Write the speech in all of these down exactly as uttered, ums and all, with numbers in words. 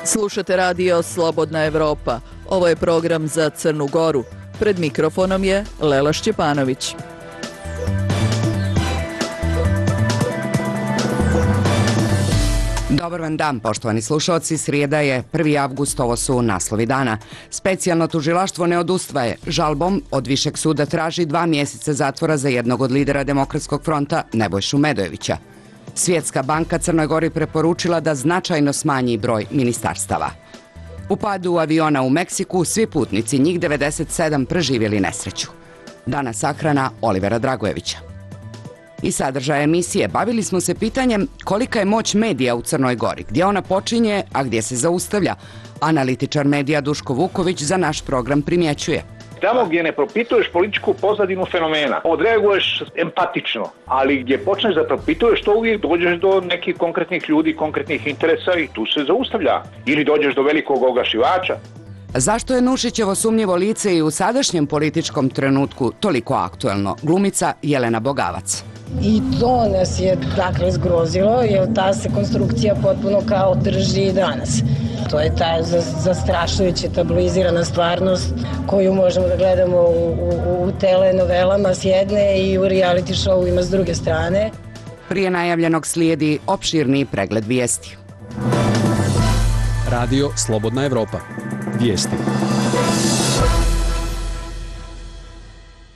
Slušate radio Slobodna Evropa. Ovo je program za Crnu Goru. Pred mikrofonom je Lela Šćepanović. Dobar vam dan, poštovani slušalci. Srijeda je prvi avgust, ovo su naslovi dana. Specijalno tužilaštvo ne odustaje. Žalbom od Višeg suda traži dva mjeseca zatvora za jednog od lidera Demokratskog fronta, Nebojšu Medojevića. Svjetska banka Crnoj Gori preporučila da značajno smanji broj ministarstava. U padu aviona u Meksiku svi putnici, njih devedeset sedam, preživjeli nesreću. Danas sahrana Olivera Dragojevića. I sadržaj emisije bavili smo se pitanjem kolika je moć medija u Crnoj Gori, gdje ona počinje, a gdje se zaustavlja. Analitičar medija Duško Vuković za naš program primjećuje. Tamo gdje ne propituješ političku pozadinu fenomena, odreaguješ empatično, ali gdje počneš da propituješ, to uvijek dođeš do nekih konkretnih ljudi, konkretnih interesa i tu se zaustavlja. Ili dođeš do velikog ogašivača. Zašto je Nušićevo sumnjivo lice i u sadašnjem političkom trenutku toliko aktuelno? Glumica Jelena Bogavac. I to nas je dakle zgrozilo, jer ta se konstrukcija potpuno kao drži i danas. To je ta zastrašujuća tabloizirana stvarnost koju možemo da gledamo u, u, u telenovelama s jedne i u reality showima s druge strane. Prije najavljenog slijedi opširni pregled vijesti. Radio Slobodna Evropa. Vijesti.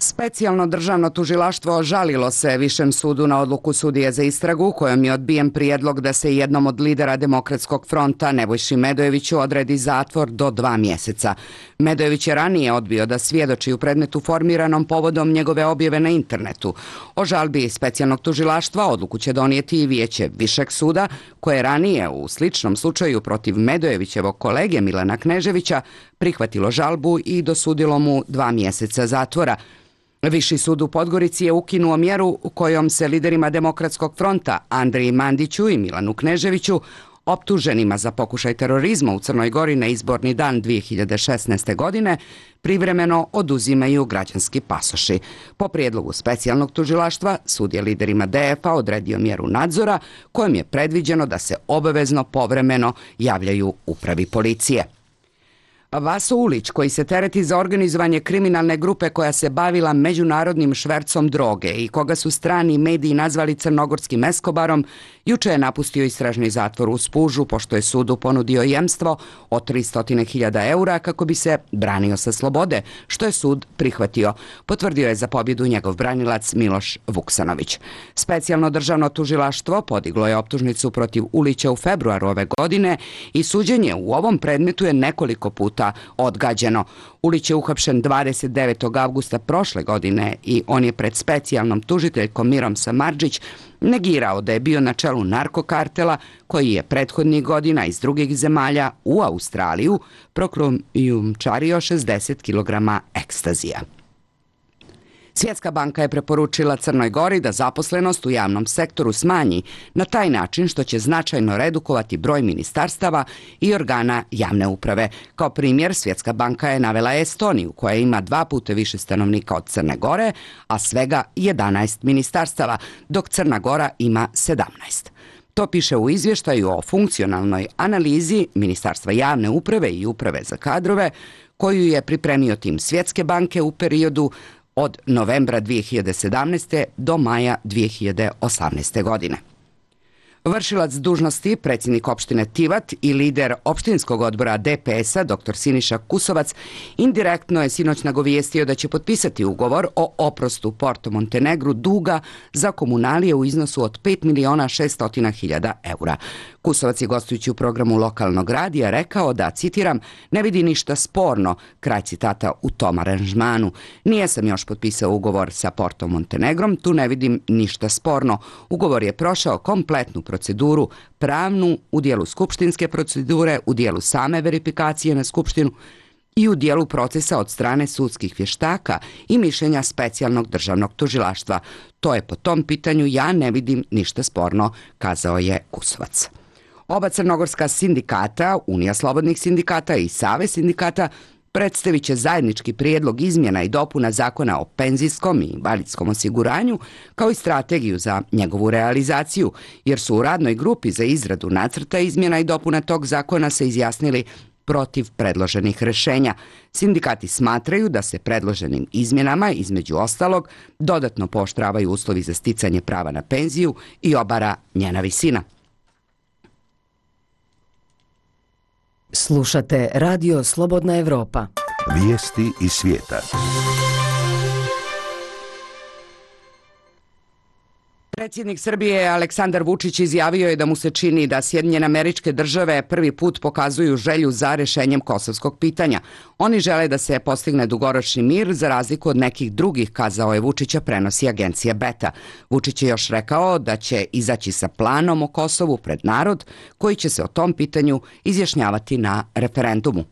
Specijalno državno tužilaštvo žalilo se Višem sudu na odluku sudije za istragu kojom je odbijen prijedlog da se jednom od lidera Demokratskog fronta Nebojši Medojeviću odredi zatvor do dva mjeseca. Medojević je ranije odbio da svjedoči u predmetu formiranom povodom njegove objave na internetu. O žalbi specijalnog tužilaštva odluku će donijeti i vijeće Višeg suda, koje je ranije u sličnom slučaju protiv Medojevićevog kolege Milana Kneževića prihvatilo žalbu i dosudilo mu dva mjeseca zatvora. Viši sud u Podgorici je ukinuo mjeru kojom se liderima Demokratskog fronta Andriji Mandiću i Milanu Kneževiću, optuženima za pokušaj terorizma u Crnoj Gori na izborni dan dvije hiljade šesnaeste. godine, privremeno oduzimaju građanski pasoši. Po prijedlogu specijalnog tužilaštva, sud je liderima D F a odredio mjeru nadzora kojom je predviđeno da se obavezno povremeno javljaju upravi policije. Vaso Ulić, koji se tereti za organizovanje kriminalne grupe koja se bavila međunarodnim švercom droge i koga su strani mediji nazvali crnogorskim Eskobarom, juče je napustio istražni zatvor u Spužu pošto je sudu ponudio jemstvo od tristo hiljada eura kako bi se branio sa slobode, što je sud prihvatio, potvrdio je za pobjedu njegov branilac Miloš Vuksanović. Specijalno državno tužilaštvo podiglo je optužnicu protiv Ulića u februaru ove godine i suđenje u ovom predmetu je nekoliko puta odgađeno. Ulić je uhapšen dvadeset devetog avgusta prošle godine i on je pred specijalnom tužiteljkom Mirom Samardžić negirao da je bio na čelu narkokartela koji je prethodnih godina iz drugih zemalja u Australiju prokrijumčario šezdeset kilograma ekstazija. Svjetska banka je preporučila Crnoj Gori da zaposlenost u javnom sektoru smanji na taj način što će značajno redukovati broj ministarstava i organa javne uprave. Kao primjer, Svjetska banka je navela Estoniju, koja ima dva puta više stanovnika od Crne Gore, a svega jedanaest ministarstava, dok Crna Gora ima sedamnaest. To piše u izvještaju o funkcionalnoj analizi Ministarstva javne uprave i uprave za kadrove, koju je pripremio tim Svjetske banke u periodu od novembra dvije hiljade sedamnaeste. do maja dvije hiljade osamnaeste. godine. Vršilac dužnosti, predsjednik opštine Tivat i lider opštinskog odbora D P S a, dr Siniša Kusovac, indirektno je sinoć nagovijestio da će potpisati ugovor o oprostu Porto Montenegru duga za komunalije u iznosu od pet miliona šesto hiljada eura. Kusovac je gostujući u programu lokalnog radija rekao da, citiram, ne vidi ništa sporno, kraj citata, u tom aranžmanu. Nije sam još potpisao ugovor sa Porto Montenegrom, tu ne vidim ništa sporno. Ugovor je prošao kompletnu proceduru, pravnu, u dijelu skupštinske procedure, u dijelu same verifikacije na skupštinu i u dijelu procesa od strane sudskih vještaka i mišljenja specijalnog državnog tužilaštva. To je po tom pitanju, ja ne vidim ništa sporno, kazao je Kusovac. Oba crnogorska sindikata, Unija slobodnih sindikata i Savez sindikata, predstavit će zajednički prijedlog izmjena i dopuna Zakona o penzijskom i invalidskom osiguranju, kao i strategiju za njegovu realizaciju, jer su u radnoj grupi za izradu nacrta izmjena i dopuna tog zakona se izjasnili protiv predloženih rešenja. Sindikati smatraju da se predloženim izmjenama, između ostalog, dodatno pooštravaju uslovi za sticanje prava na penziju i obara njena visina. Slušate Radio Slobodna Evropa. Vijesti iz svijeta. Predsjednik Srbije Aleksandar Vučić izjavio je da mu se čini da Sjedinjene Američke Države prvi put pokazuju želju za rešenjem kosovskog pitanja. Oni žele da se postigne dugoročni mir za razliku od nekih drugih, kazao je Vučića, prenosi agencija Beta. Vučić je još rekao da će izaći sa planom o Kosovu pred narod koji će se o tom pitanju izjašnjavati na referendumu.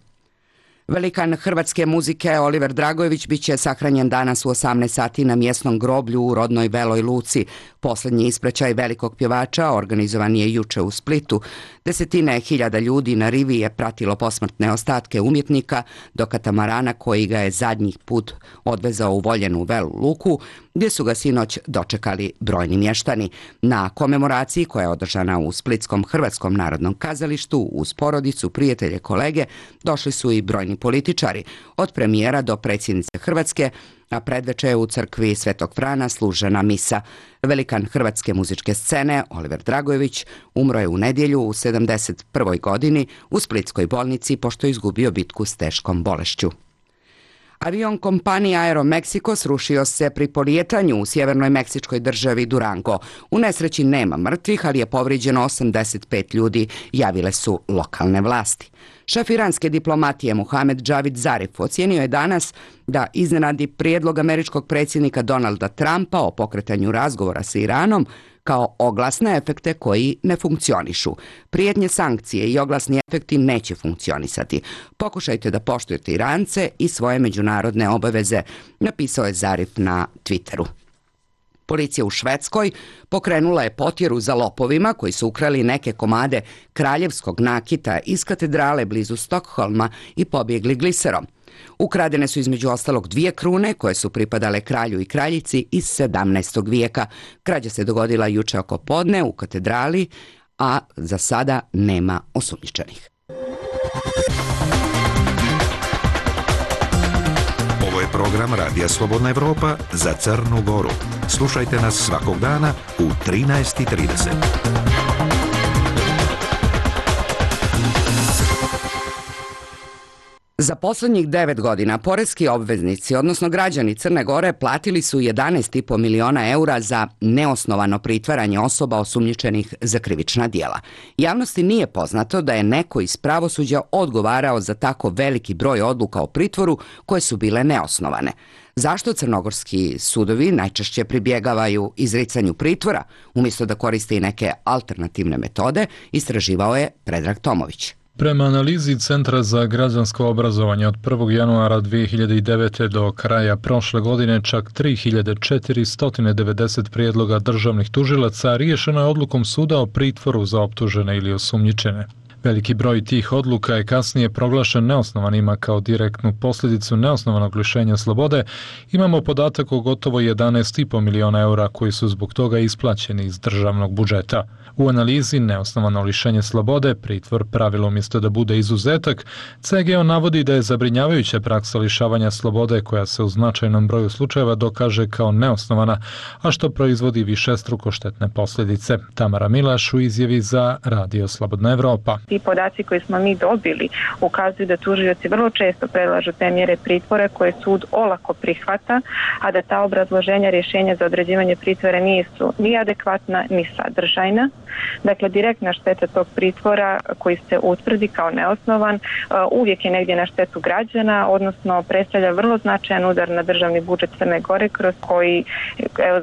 Velikan hrvatske muzike Oliver Dragojević biće sahranjen danas u osamnaest sati na mjesnom groblju u rodnoj Veloj Luci. Poslednji ispraćaj velikog pjevača organizovan je juče u Splitu. Desetine hiljada ljudi na rivi je pratilo posmrtne ostatke umjetnika do katamarana koji ga je zadnjih put odvezao u voljenu Velu Luku, gdje su ga sinoć dočekali brojni mještani. Na komemoraciji koja je održana u Splitskom Hrvatskom narodnom kazalištu uz porodicu, prijatelje, kolege, došli su i brojni političari, od premijera do predsjednice Hrvatske, a predveče je u crkvi Svetog Frana služena misa. Velikan hrvatske muzičke scene Oliver Dragojević umro je u nedjelju u sedamdeset prvoj godini u splitskoj bolnici pošto je izgubio bitku s teškom bolešću. Avion kompanije Aeromexico srušio se pri polijetanju u sjevernoj meksičkoj državi Durango. U nesreći nema mrtvih, ali je povrijeđeno osamdeset pet ljudi, javile su lokalne vlasti. Šef iranske diplomatije Mohamed Javad Zarif ocijenio je danas da iznenadi prijedlog američkog predsjednika Donalda Trumpa o pokretanju razgovora sa Iranom kao oglasne efekte koji ne funkcionišu. Prijetnje sankcije i oglasni efekti neće funkcionisati. Pokušajte da poštujete Irance i svoje međunarodne obaveze, napisao je Zarif na Twitteru. Policija u Švedskoj pokrenula je potjeru za lopovima koji su ukrali neke komade kraljevskog nakita iz katedrale blizu Stokholma i pobjegli gliserom. Ukradene su između ostalog dvije krune koje su pripadale kralju i kraljici iz sedamnaestog vijeka. Krađa se dogodila juče oko podne u katedrali, a za sada nema osumnjičenih. Ovo je program Radija Slobodna Evropa za Crnu Goru. Slušajte nas svakog dana u trinaest i trideset. Za posljednjih devet godina poreski obveznici, odnosno građani Crne Gore, platili su jedanaest i po miliona eura za neosnovano pritvaranje osoba osumnjičenih za krivična djela. Javnosti nije poznato da je neko iz pravosuđa odgovarao za tako veliki broj odluka o pritvoru koje su bile neosnovane. Zašto crnogorski sudovi najčešće pribjegavaju izricanju pritvora, umjesto da koriste i neke alternativne metode, istraživao je Predrag Tomović. Prema analizi Centra za građansko obrazovanje od prvog januara dvije hiljade devete. do kraja prošle godine čak tri hiljade četiristo devedeset prijedloga državnih tužilaca riješeno je odlukom suda o pritvoru za optužene ili osumnjičene. Veliki broj tih odluka je kasnije proglašen neosnovanima kao direktnu posljedicu neosnovanog lišenja slobode. Imamo podatak o gotovo jedanaest i po miliona eura koji su zbog toga isplaćeni iz državnog budžeta. U analizi neosnovano lišenje slobode, pritvor pravilo umjesto da bude izuzetak, C G O navodi da je zabrinjavajuća praksa lišavanja slobode koja se u značajnom broju slučajeva dokaže kao neosnovana, a što proizvodi višestruko štetne posljedice. Tamara Milaš u izjavi za Radio Slobodna Evropa. Ti podaci koje smo mi dobili ukazuju da tužioci vrlo često predlažu te mjere pritvora koje sud olako prihvata, a da ta obrazloženja rješenja za određivanje pritvora nisu ni adekvatna ni sadržajna. Dakle, direktna šteta tog pritvora koji se utvrdi kao neosnovan uvijek je negdje na štetu građana, odnosno predstavlja vrlo značajan udar na državni budžet Crne Gore kroz koji evo,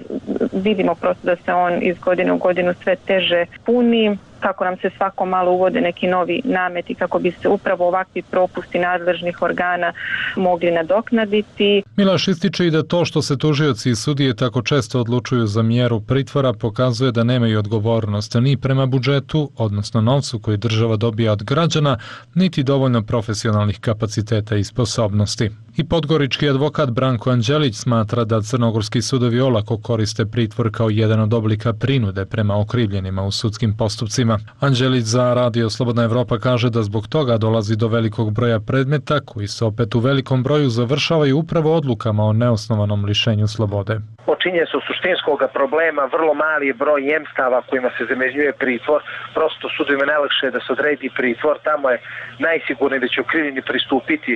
vidimo prosto da se on iz godine u godinu sve teže puni. kako nam se svako malo uvode neki novi nameti kako bi se upravo ovakvi propusti nadležnih organa mogli nadoknaditi. Milaš ističe i da to što se tužioci i sudije tako često odlučuju za mjeru pritvora pokazuje da nemaju odgovornost ni prema budžetu, odnosno novcu koji država dobija od građana, niti dovoljno profesionalnih kapaciteta i sposobnosti. I podgorički advokat Branko Anđelić smatra da crnogorski sudovi olako koriste pritvor kao jedan od oblika prinude prema okrivljenima u sudskim postupcima. Anđelić za Radio Slobodna Evropa kaže da zbog toga dolazi do velikog broja predmeta koji se opet u velikom broju završavaju upravo odlukama o neosnovanom lišenju slobode. Počinje se u suštinskog problema vrlo mali broj jemstava kojima se zamjenjuje pritvor. Prosto sudovima najlakše da se odredi pritvor, tamo je najsigurnije da će okrivljeni pristupiti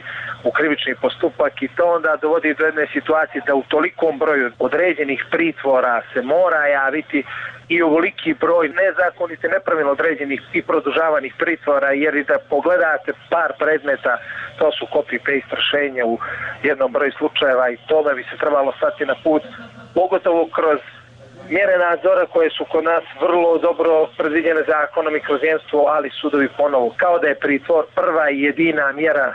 u krivični postupak i to onda dovodi do jedne situacije da u tolikom broju određenih pritvora se mora javiti i ovoliki broj nezakonite, nepravilno određenih i produžavanih pritvora, jer i da pogledate par predmeta, to su copy-paste rješenja u jednom broju slučajeva i tome bi se trebalo stati na put, pogotovo kroz mjere nadzora koje su kod nas vrlo dobro predviđene zakonom i kroz jemstvo, ali sudovi ponovo, kao da je pritvor prva i jedina mjera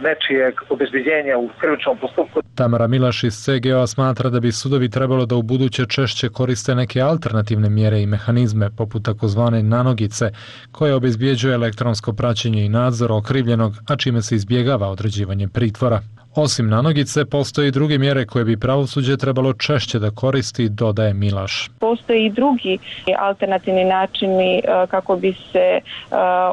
nečijeg obezbeđenja u krivičnom postupku. Tamara Milaš iz C G O smatra da bi sudovi trebalo da u buduće češće koriste neke alternativne mjere i mehanizme, poput takozvane nanogice, koja obezbjeđuje elektronsko praćenje i nadzor okrivljenog, a čime se izbjegava određivanje pritvora. Osim nanogice, postoje i druge mjere koje bi pravosuđe trebalo češće da koristi, dodaje Milaš. Postoje i drugi alternativni načini kako bi se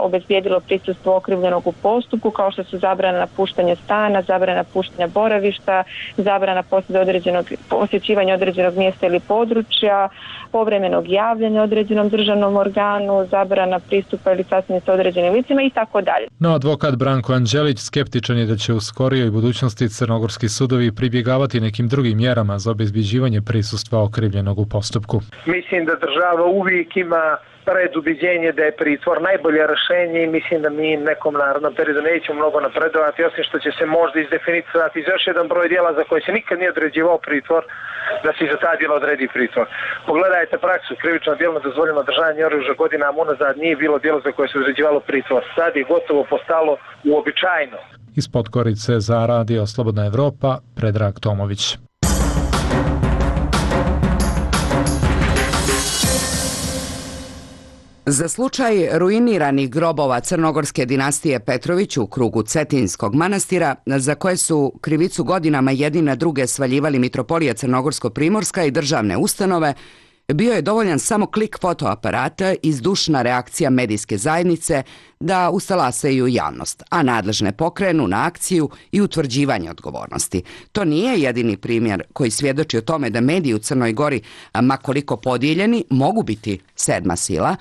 obezbijedilo prisustvo okrivljenog u postupku, kao što su zabrana napuštanja stana, zabrana napuštanja boravišta, zabrana određenog, posjećivanja određenog mjesta ili područja, povremenog javljanja određenom državnom organu, zabrana pristupa ili sasvim sa određenim licima i tako dalje. No, advokat Branko Anđelić skeptičan je da će u skorijoj budućnosti crnogorski sudovi pribjegavati nekim drugim mjerama za obezbjeđivanje prisustva okrivljenog u postupku. Mislim da država uvijek ima predubiđenje da je pritvor najbolje rješenje i mislim da mi nekom narodnom periodu nećemo mnogo napredovati, osim što će se možda izdefinicirati iz još jedan broj dijela za koje se nikad nije određivao pritvor, da se za ta djela odredi pritvor. Pogledajte praksu, krivično djelo dozvoljeno držanje oružja godinama unazad nije bilo djelo za koje se određivalo pritvor. Sad je gotovo postalo uobičajeno. Iz Podgorice za Radio Slobodna Evropa, Predrag Tomović. Za slučaj ruiniranih grobova crnogorske dinastije Petrović u krugu Cetinskog manastira, za koje su krivicu godinama jedni na druge svaljivali Mitropolija Crnogorsko-Primorska i državne ustanove, bio je dovoljan samo klik fotoaparata i zdušna reakcija medijske zajednice da ustalasaju javnost, a nadležne pokrenu na akciju i utvrđivanje odgovornosti. To nije jedini primjer koji svjedoči o tome da mediji u Crnoj Gori, ma koliko podijeljeni, mogu biti sedma sila,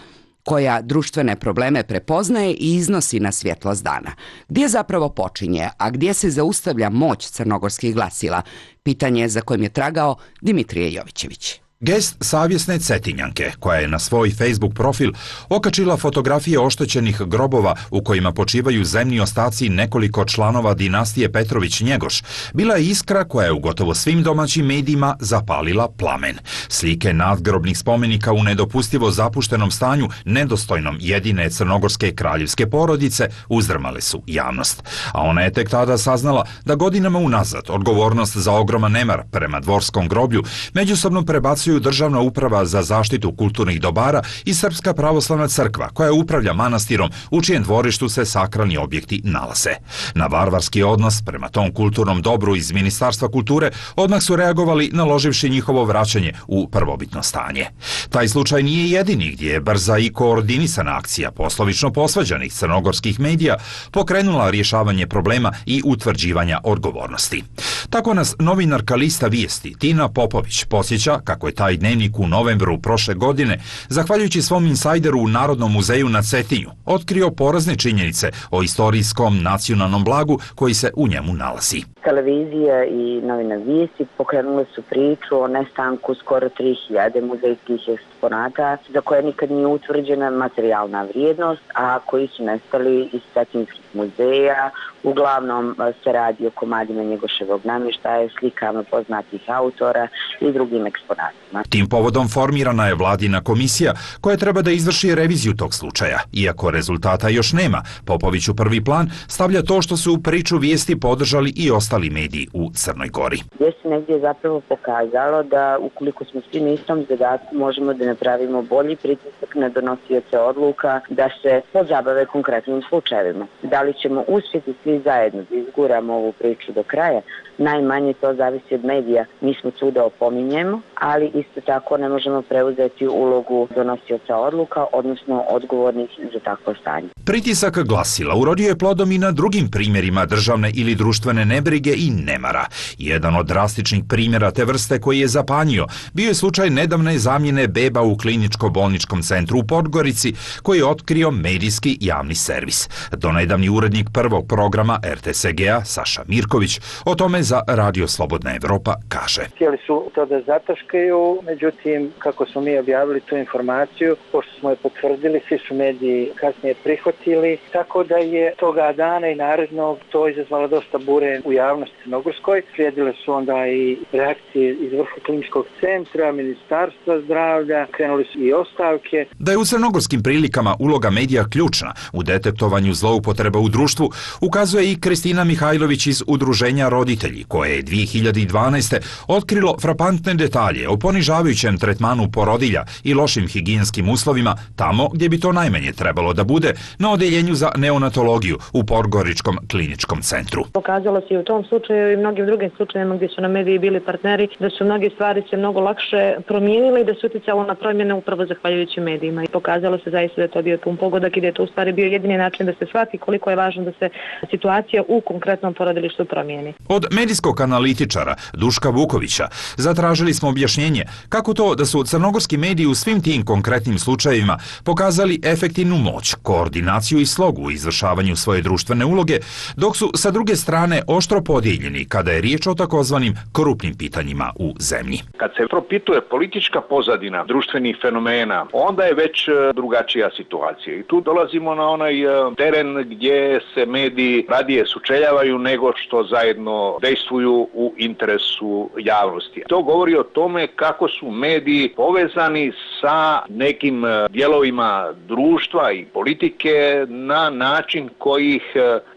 koja društvene probleme prepoznaje i iznosi na svjetlost dana. Gdje zapravo počinje, a gdje se zaustavlja moć crnogorskih glasila? Pitanje je za kojim je tragao Dimitrije Jovićević. Gest savjesne Cetinjanke, koja je na svoj Facebook profil okačila fotografije oštećenih grobova u kojima počivaju zemni ostaci nekoliko članova dinastije Petrović-Njegoš, bila je iskra koja je u gotovo svim domaćim medijima zapalila plamen. Slike nadgrobnih spomenika u nedopustivo zapuštenom stanju, nedostojnom jedine crnogorske kraljevske porodice, uzdrmale su javnost. A ona je tek tada saznala da godinama unazad odgovornost za ogroman nemar prema dvorskom groblju međusobno prebacuju Državna uprava za zaštitu kulturnih dobara i Srpska pravoslavna crkva, koja upravlja manastirom u čijem dvorištu se sakralni objekti nalaze. Na varvarski odnos prema tom kulturnom dobru iz Ministarstva kulture odmah su reagovali naloživši njihovo vraćanje u prvobitno stanje. Taj slučaj nije jedini gdje je brza i koordinisana akcija poslovično posvađanih crnogorskih medija pokrenula rješavanje problema i utvrđivanja odgovornosti. Tako nas novinarka lista Vijesti Tina Popović podsjeća kako je taj dnevnik u novembru prošle godine, zahvaljujući svom insajderu u Narodnom muzeju na Cetinju, otkrio porazne činjenice o istorijskom nacionalnom blagu koji se u njemu nalazi. Televizija i novine Vijesti pokrenule su priču o nestanku skoro tri hiljade muzejskih eksponata za koje nikad nije utvrđena materijalna vrijednost, a koji su nestali iz cetinskih muzeja. Uglavnom se radi o komadima Njegoševog namještaja, slikama poznatih autora i drugim eksponatima. Tim povodom formirana je vladina komisija koja treba da izvrši reviziju tog slučaja. Iako rezultata još nema, Popović u prvi plan stavlja to što su u priču vijesti podržali i ostali mediji u Crnoj Gori. Gdje se negdje zapravo pokazalo da ukoliko smo svi na istom zadatku možemo da napravimo bolji pritisak na donosioce odluka da se pozabave konkretnim slučajevima. Da li ćemo uspjeti svi zajedno da izguramo ovu priču do kraja? Najmanje to zavisi od medija. Mi smo tu da opominjemo, ali isto tako ne možemo preuzeti ulogu donosioca odluka, odnosno odgovornih za takvo stanje. Pritisak glasila urodio je plodom i na drugim primjerima državne ili društvene nebrige i nemara. Jedan od drastičnih primjera te vrste koji je zapanjio bio je slučaj nedavne zamjene beba u kliničko-bolničkom centru u Podgorici koji je otkrio medijski javni servis. Donedavni urednik prvog programa er te es ge-a Saša Mirković o tome za Radio Slobodna Evropa kaže. Htjeli su to da zataškaju, međutim, kako smo mi objavili tu informaciju, pošto smo je potvrdili, svi su mediji kasnije prihvatili, tako da je toga dana i narednog to izazvalo dosta bure u javnosti crnogorskoj. Slijedile su onda i reakcije iz vrha kliničkog centra, Ministarstva zdravlja, krenuli su i ostavke. Da je u crnogorskim prilikama uloga medija ključna u detektovanju zloupotreba u društvu, ukazuje i Kristina Mihajlović iz Udruženja roditelji, koje je dvije hiljade dvanaeste. otkrilo frapantne detalje o ponižavajućem tretmanu porodilja i lošim higijenskim uslovima tamo gdje bi to najmanje trebalo da bude, na odeljenju za neonatologiju u Podgoričkom kliničkom centru. Pokazalo se i u tom slučaju i mnogim drugim slučajevima gdje su na mediji bili partneri da su mnoge stvari se mnogo lakše promijenile i da su utjecalo na promjene upravo zahvaljujući medijima. I pokazalo se zaista da je to bio pun pogodak i da je to u stvari bio jedini način da se shvati koliko je važno da se situacija u konkretnom porodilištu promijeni. Od medijskog analitičara Duška Vukovića zatražili smo objašnjenje kako to da su crnogorski mediji u svim tim konkretnim slučajevima pokazali efektivnu moć, koordinaciju i slogu u izvršavanju svoje društvene uloge, dok su sa druge strane oštro podijeljeni kada je riječ o takozvanim krupnim pitanjima u zemlji. Kad se propituje politička pozadina društvenih fenomena, onda je već drugačija situacija. I tu dolazimo na onaj teren gdje se mediji radije sučeljavaju nego što zajedno dejstvuju u interesu javnosti. To govori o tome kako su mediji povezani sa nekim dijelovima društva i politike na način koji ih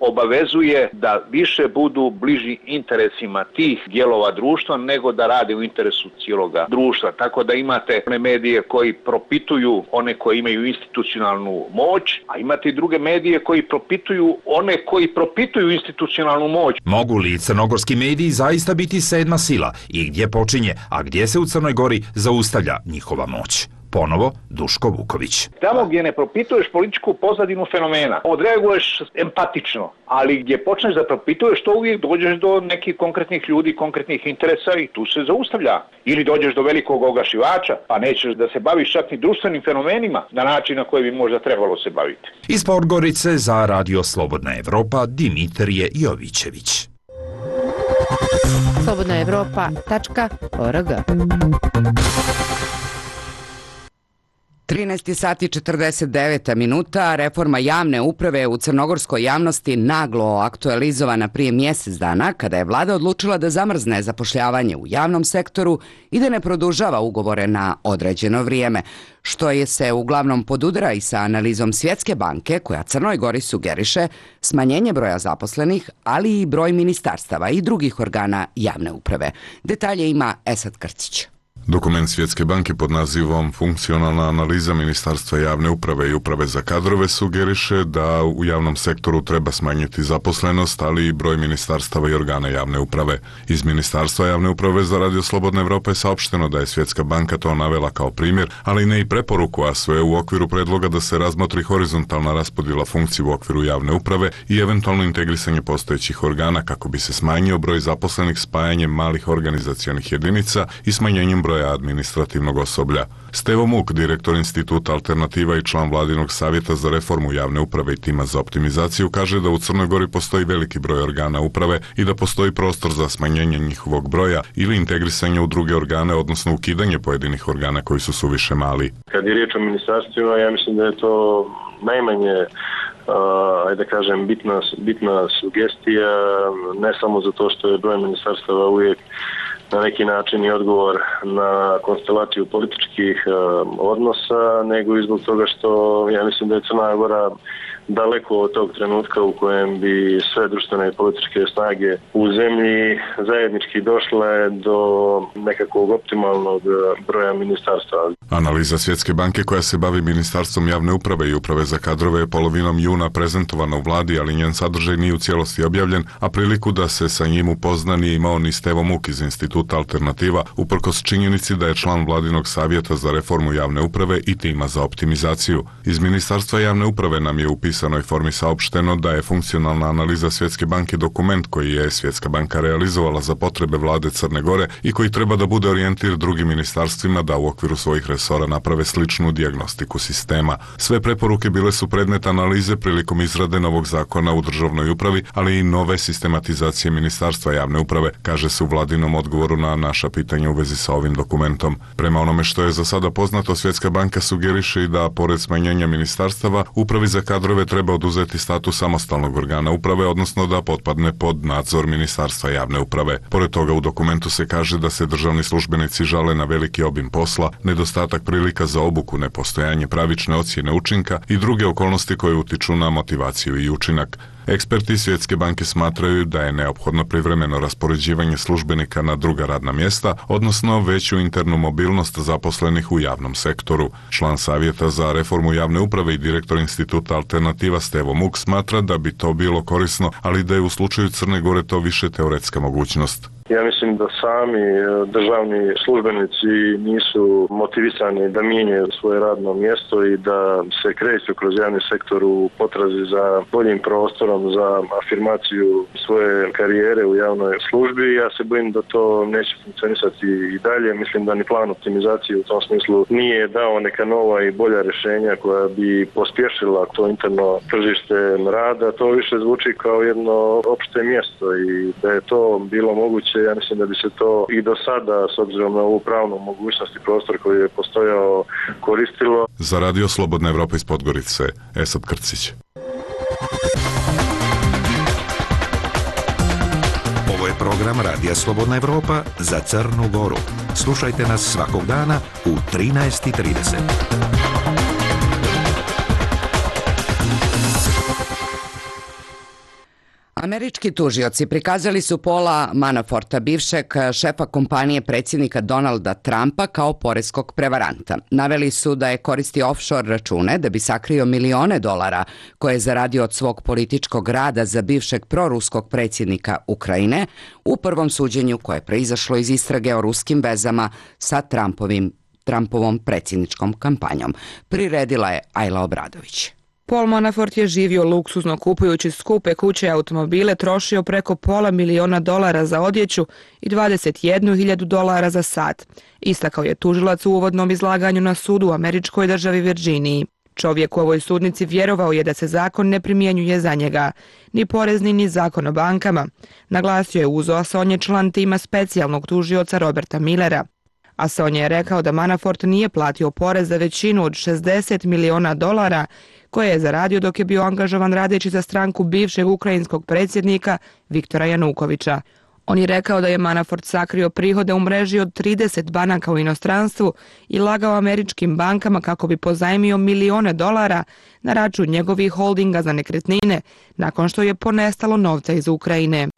obavezuje da više budu bliži interesima tih dijelova društva nego da rade u interesu cijeloga društva. Tako da imate one medije koji propituju one koji imaju institucionalnu moć, a imate i druge medije koji propituju one koji propituju institucionalnu moć. Mogu li crnogorski mediji zaista biti sedma sila i gdje počinje, a gdje se u Crnoj Gori zaustavlja njihova moć? Ponovo Duško Vuković. Tamo gdje ne propituješ političku pozadinu fenomena, odreaguješ empatično, ali gdje počneš da propituješ, to uvijek dođeš do nekih konkretnih ljudi, konkretnih interesa i tu se zaustavlja. Ili dođeš do velikog ogašivača, pa nećeš da se baviš čak ni društvenim fenomenima na način na koji bi možda trebalo se baviti. Iz Podgorice za Radio Slobodna Evropa Dimitrije Jovićević. slobodna evropa tačka org. trinaest sati četrdeset devet minuta. Reforma javne uprave je u crnogorskoj javnosti naglo aktualizovana prije mjesec dana kada je vlada odlučila da zamrzne zapošljavanje u javnom sektoru i da ne produžava ugovore na određeno vrijeme, što je se uglavnom podudara i sa analizom Svjetske banke koja Crnoj Gori sugeriše smanjenje broja zaposlenih, ali i broj ministarstava i drugih organa javne uprave. Detalje ima Esad Krcić. Dokument Svjetske banke pod nazivom Funkcionalna analiza Ministarstva javne uprave i uprave za kadrove sugeriše da u javnom sektoru treba smanjiti zaposlenost, ali i broj ministarstava i organa javne uprave. Iz Ministarstva javne uprave za Radio Slobodna Evropa je saopšteno da je Svjetska banka to navela kao primjer, ali ne i preporuku, a sve u okviru predloga da se razmotri horizontalna raspodjela funkcije u okviru javne uprave i eventualno integrisanje postojećih organa kako bi se smanjio broj zaposlenih spajanjem malih organizacionih jedinica i smanjenjem broja administrativnog osoblja. Stevo Muk, direktor Instituta Alternativa i član Vladinog savjeta za reformu javne uprave i tima za optimizaciju, kaže da u Crnoj Gori postoji veliki broj organa uprave i da postoji prostor za smanjenje njihovog broja ili integrisanje u druge organe, odnosno ukidanje pojedinih organa koji su suviše mali. Kad je riječ o ministarstvima, ja mislim da je to najmanje ajde da kažem, bitna, bitna sugestija, ne samo zato što je broj ministarstava uvijek na neki način i odgovor na konstelaciju političkih odnosa, nego i zbog toga što ja mislim da je Crna Gora daleko od tog trenutka u kojem bi sve društvene i političke snage u zemlji zajednički došle do nekakvog optimalnog broja ministarstva. Analiza Svjetske banke koja se bavi Ministarstvom javne uprave i uprave za kadrove je polovinom juna prezentovana u vladi, ali njen sadržaj nije u cijelosti objavljen, a priliku da se sa njim upozna nije imao ni Stevo Muk iz Instituta Alternativa, uprkos činjenici da je član vladinog savjeta za reformu javne uprave i tima za optimizaciju. Iz Ministarstva javne uprave nam je u pisanoj formi saopšteno da je funkcionalna analiza Svjetske banke dokument koji je Svjetska banka realizovala za potrebe vlade Crne Gore i koji treba da bude orijentir drugim ministarstvima da u okviru svojih resora naprave sličnu dijagnostiku sistema. Sve preporuke bile su predmet analize prilikom izrade novog zakona u državnoj upravi, ali i nove sistematizacije Ministarstva javne uprave, kaže se u vladinom odgovoru na naša pitanja u vezi sa ovim dokumentom. Prema onome što je za sada poznato, Svjetska banka sugeriše i da, pored smanjenja ministarstava, upravi za kadrove treba oduzeti status samostalnog organa uprave, odnosno da potpadne pod nadzor Ministarstva javne uprave. Pored toga u dokumentu se kaže da se državni službenici žale na veliki obim posla, nedostatak prilika za obuku, nepostojanje pravične ocjene učinka i druge okolnosti koje utiču na motivaciju i učinak. Eksperti Svjetske banke smatraju da je neophodno privremeno raspoređivanje službenika na druga radna mjesta, odnosno veću internu mobilnost zaposlenih u javnom sektoru. Član Savjeta za reformu javne uprave i direktor Instituta Alternativa Stevo Muk smatra da bi to bilo korisno, ali da je u slučaju Crne Gore to više teoretska mogućnost. Ja mislim da sami državni službenici nisu motivisani da mijenjaju svoje radno mjesto i da se kreću kroz javni sektor u potrazi za boljim prostorom, za afirmaciju svoje karijere u javnoj službi. Ja se bojim da to neće funkcionisati i dalje. Mislim da ni plan optimizacije u tom smislu nije dao neka nova i bolja rješenja koja bi pospješila to interno tržište rada. To više zvuči kao jedno opšte mjesto i da je to bilo moguće. Ja mislim da bi se to i do sada, s obzirom na ovu pravnu mogućnost i prostor koji je postojao, koristilo. Za Radio Slobodna Evropa iz Podgorice, Esad Krcić. Ovo je program Radija Slobodna Evropa za Crnu Goru. Slušajte nas svakog dana u trinaest i trideset. Američki tužioci prikazali su Paula Manaforta, bivšeg šefa kompanije predsjednika Donalda Trumpa, kao poreskog prevaranta. Naveli su da je koristio offshore račune da bi sakrio milione dolara koje je zaradio od svog političkog rada za bivšeg proruskog predsjednika Ukrajine u prvom suđenju koje je proizašlo iz istrage o ruskim vezama sa Trumpovim, Trumpovom predsjedničkom kampanjom. Priredila je Ajla Obradović. Paul Manafort je živio luksuzno kupujući skupe kuće i automobile, trošio preko pola miliona dolara za odjeću i dvadeset jednu hiljadu dolara za sat. Istakao je tužilac u uvodnom izlaganju na sudu u američkoj državi Virginiji. Čovjek u ovoj sudnici vjerovao je da se zakon ne primjenjuje za njega, ni porezni ni zakon o bankama. Naglasio je Uzo Asonje, član tima specijalnog tužioca Roberta Millera. Asonje je rekao da Manafort nije platio porez za većinu od šezdeset miliona dolara koje je zaradio dok je bio angažovan radeći za stranku bivšeg ukrajinskog predsjednika Viktora Janukovića. On je rekao da je Manafort sakrio prihode u mreži od trideset banaka u inostranstvu i lagao američkim bankama kako bi pozajmio milione dolara na račun njegovih holdinga za nekretnine nakon što je ponestalo novca iz Ukrajine.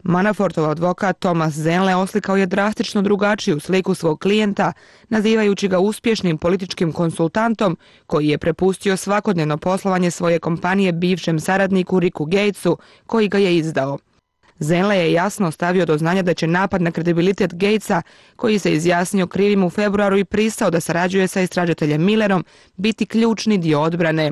Manafortov advokat Thomas Zenle oslikao je drastično drugačiju sliku svog klijenta, nazivajući ga uspješnim političkim konsultantom koji je prepustio svakodnevno poslovanje svoje kompanije bivšem saradniku Ricku Gatesu, koji ga je izdao. Zenle je jasno stavio do znanja da će napad na kredibilitet Gatesa, koji se izjasnio krivim u februaru i pristao da sarađuje sa istražiteljem Millerom, biti ključni dio odbrane.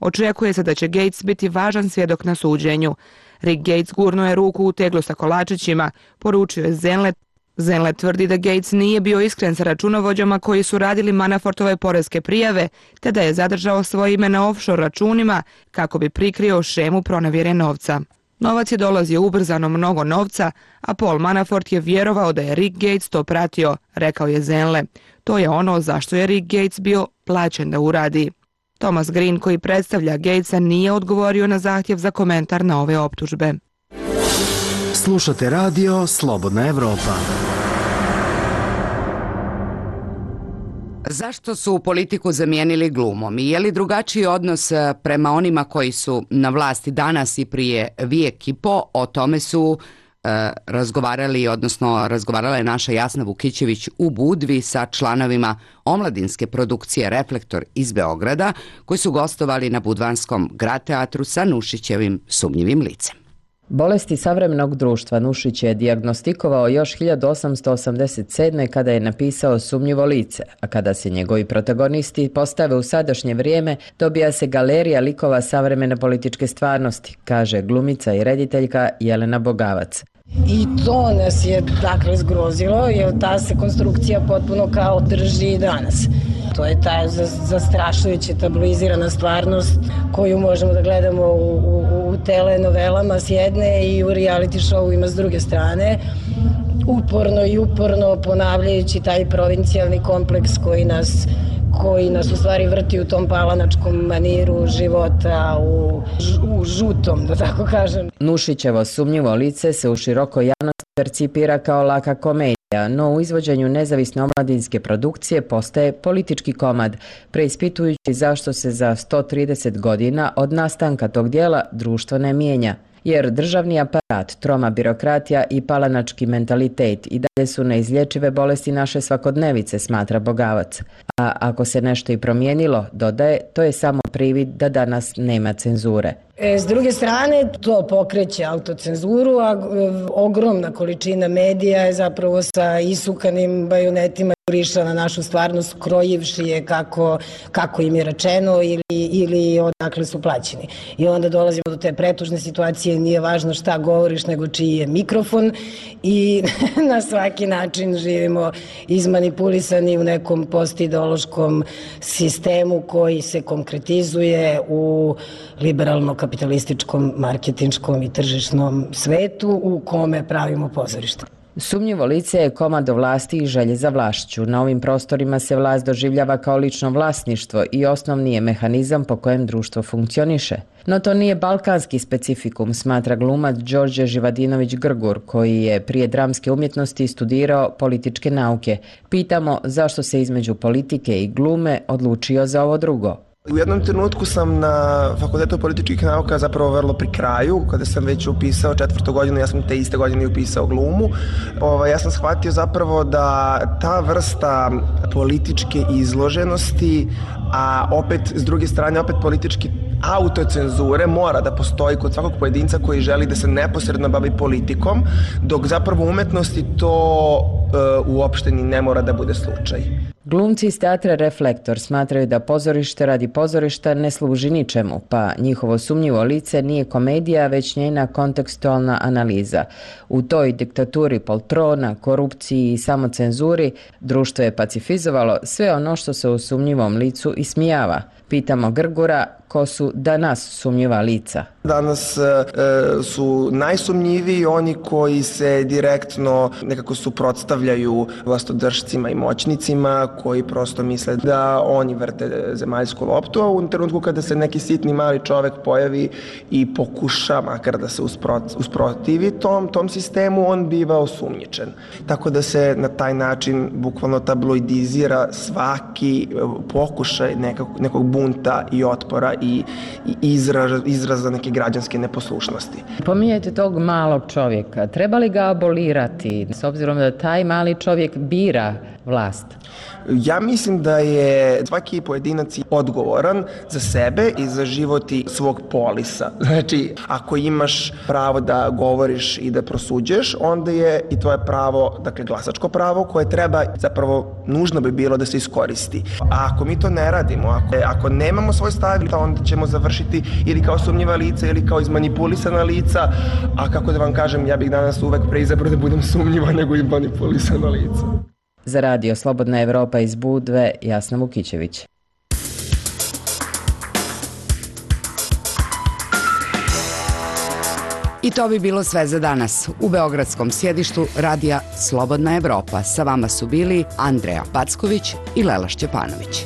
Očekuje se da će Gates biti važan svjedok na suđenju. Rick Gates gurnuo je ruku u teglu sa kolačićima, poručio je Zenle. Zenle tvrdi da Gates nije bio iskren sa računovođama koji su radili Manafortove poreske prijave, te da je zadržao svoje ime na offshore računima kako bi prikrio šemu pronevjere novca. Novac je dolazio ubrzano mnogo novca, a Paul Manafort je vjerovao da je Rick Gates to pratio, rekao je Zenle. To je ono zašto je Rick Gates bio plaćen da uradi. Thomas Green, koji predstavlja Gatesa, nije odgovorio na zahtjev za komentar na ove optužbe. Slušate radio Slobodna Evropa. Zašto su politiku zamijenili glumom i je li drugačiji odnos prema onima koji su na vlasti danas i prije vijek i po? O tome su e, razgovarali, odnosno razgovarala je naša Jasna Vukićević u Budvi sa članovima omladinske produkcije Reflektor iz Beograda, koji su gostovali na budvanskom Grad teatru sa Nušićevim sumnjivim licem. Bolesti savremenog društva Nušić je dijagnostikovao još hiljadu osamsto osamdeset sedme. kada je napisao Sumnjivo lice, a kada se njegovi protagonisti postave u sadašnje vrijeme, dobija se galerija likova savremene političke stvarnosti, kaže glumica i rediteljka Jelena Bogavac. I to nas je dakle zgrozilo, jer ta se konstrukcija potpuno kao drži i danas. To je ta zastrašujuća tabloizirana stvarnost koju možemo da gledamo u, u, u telenovelama s jedne i u reality showima s druge strane, uporno i uporno ponavljajući taj provincijalni kompleks koji nas koji nas u stvari vrti u tom palanačkom maniru života, u, u žutom, da tako kažem. Nušićevo Sumnjivo lice se u širokoj javnosti percipira kao laka komedija, no u izvođenju nezavisne omladinske produkcije postaje politički komad, preispitujući zašto se za sto trideset godina od nastanka tog dijela društvo ne mijenja. Jer državni aparat, troma birokratija i palanački mentalitet i dalje su neizlječive bolesti naše svakodnevice, smatra Bogavac. A ako se nešto i promijenilo, dodaje, to je samo privid da danas nema cenzure. E, s druge strane, to pokreće autocenzuru, a ogromna količina medija je zapravo sa isukanim bajonetima juriša na našu stvarnost, krojivši je kako, kako im je rečeno ili, ili odakle su plaćeni. I onda dolazimo do te pretužne situacije, nije važno šta govoriš, nego čiji je mikrofon i na svaki način živimo izmanipulisani u nekom postideološkom sistemu koji se konkretizuje u liberalno-kapitalističkom, marketinškom i tržišnom svetu u kome pravimo pozorište. Sumnjivo lice je komado vlasti i želje za vlašću. Na ovim prostorima se vlast doživljava kao lično vlasništvo i osnovni je mehanizam po kojem društvo funkcioniše. No to nije balkanski specifikum, smatra glumac Đorđe Živadinović-Grgur, koji je prije dramske umjetnosti studirao političke nauke. Pitamo zašto se između politike i glume odlučio za ovo drugo. U jednom trenutku sam na Fakultetu političkih nauka zapravo vrlo pri kraju, kada sam već upisao četvrtu godinu, ja sam te iste godine upisao glumu. Ovaj, ja sam shvatio zapravo da ta vrsta političke izloženosti, a opet s druge strane opet politički autocenzure mora da postoji kod svakog pojedinca koji želi da se neposredno bavi politikom, dok zapravo u umetnosti to e, uopšte ni ne mora da bude slučaj. Glumci iz teatra Reflektor smatraju da pozorište radi pozorišta ne služi ničemu, pa njihovo Sumnjivo lice nije komedija, već njena kontekstualna analiza. U toj diktaturi poltrona, korupciji i samocenzuri društvo je pacifizovalo sve ono što se u Sumnjivom licu ismijava. Pitamo Grgura ko su danas sumnjiva lica. Danas e, su najsumnjiviji oni koji se direktno nekako suprotstavljaju vlastodržcima i moćnicima, koji prosto misle da oni vrte zemaljsku loptu, a u trenutku kada se neki sitni mali čovek pojavi i pokuša makar da se usprotivi tom, tom sistemu, on biva osumnjičen. Tako da se na taj način bukvalno tabloidizira svaki pokušaj nekog, nekog bunta i otpora i, i izraz, izraza neke građanske neposlušnosti. Pominjete tog malog čovjeka. Treba li ga abolirati s obzirom da taj mali čovjek bira vlast? Ja mislim da je svaki pojedinac odgovoran za sebe i za život svog polisa. Znači, ako imaš pravo da govoriš i da prosuđuješ, onda je i tvoje pravo, dakle glasačko pravo, koje treba, zapravo nužno bi bilo da se iskoristi. A ako mi to ne radimo, ako, ako nemamo svoj stav, onda ćemo završiti ili kao sumnjiva lica ili kao izmanipulisana lica, a kako da vam kažem, ja bih danas uvek preizabrao da budem sumnjiva nego izmanipulisana lica. Za radio Slobodna Evropa iz Budve, Jasna Vukićević. I to bi bilo sve za danas. U beogradskom sjedištu radija Slobodna Evropa sa vama su bili Andreja Packović i Lela Šćepanović.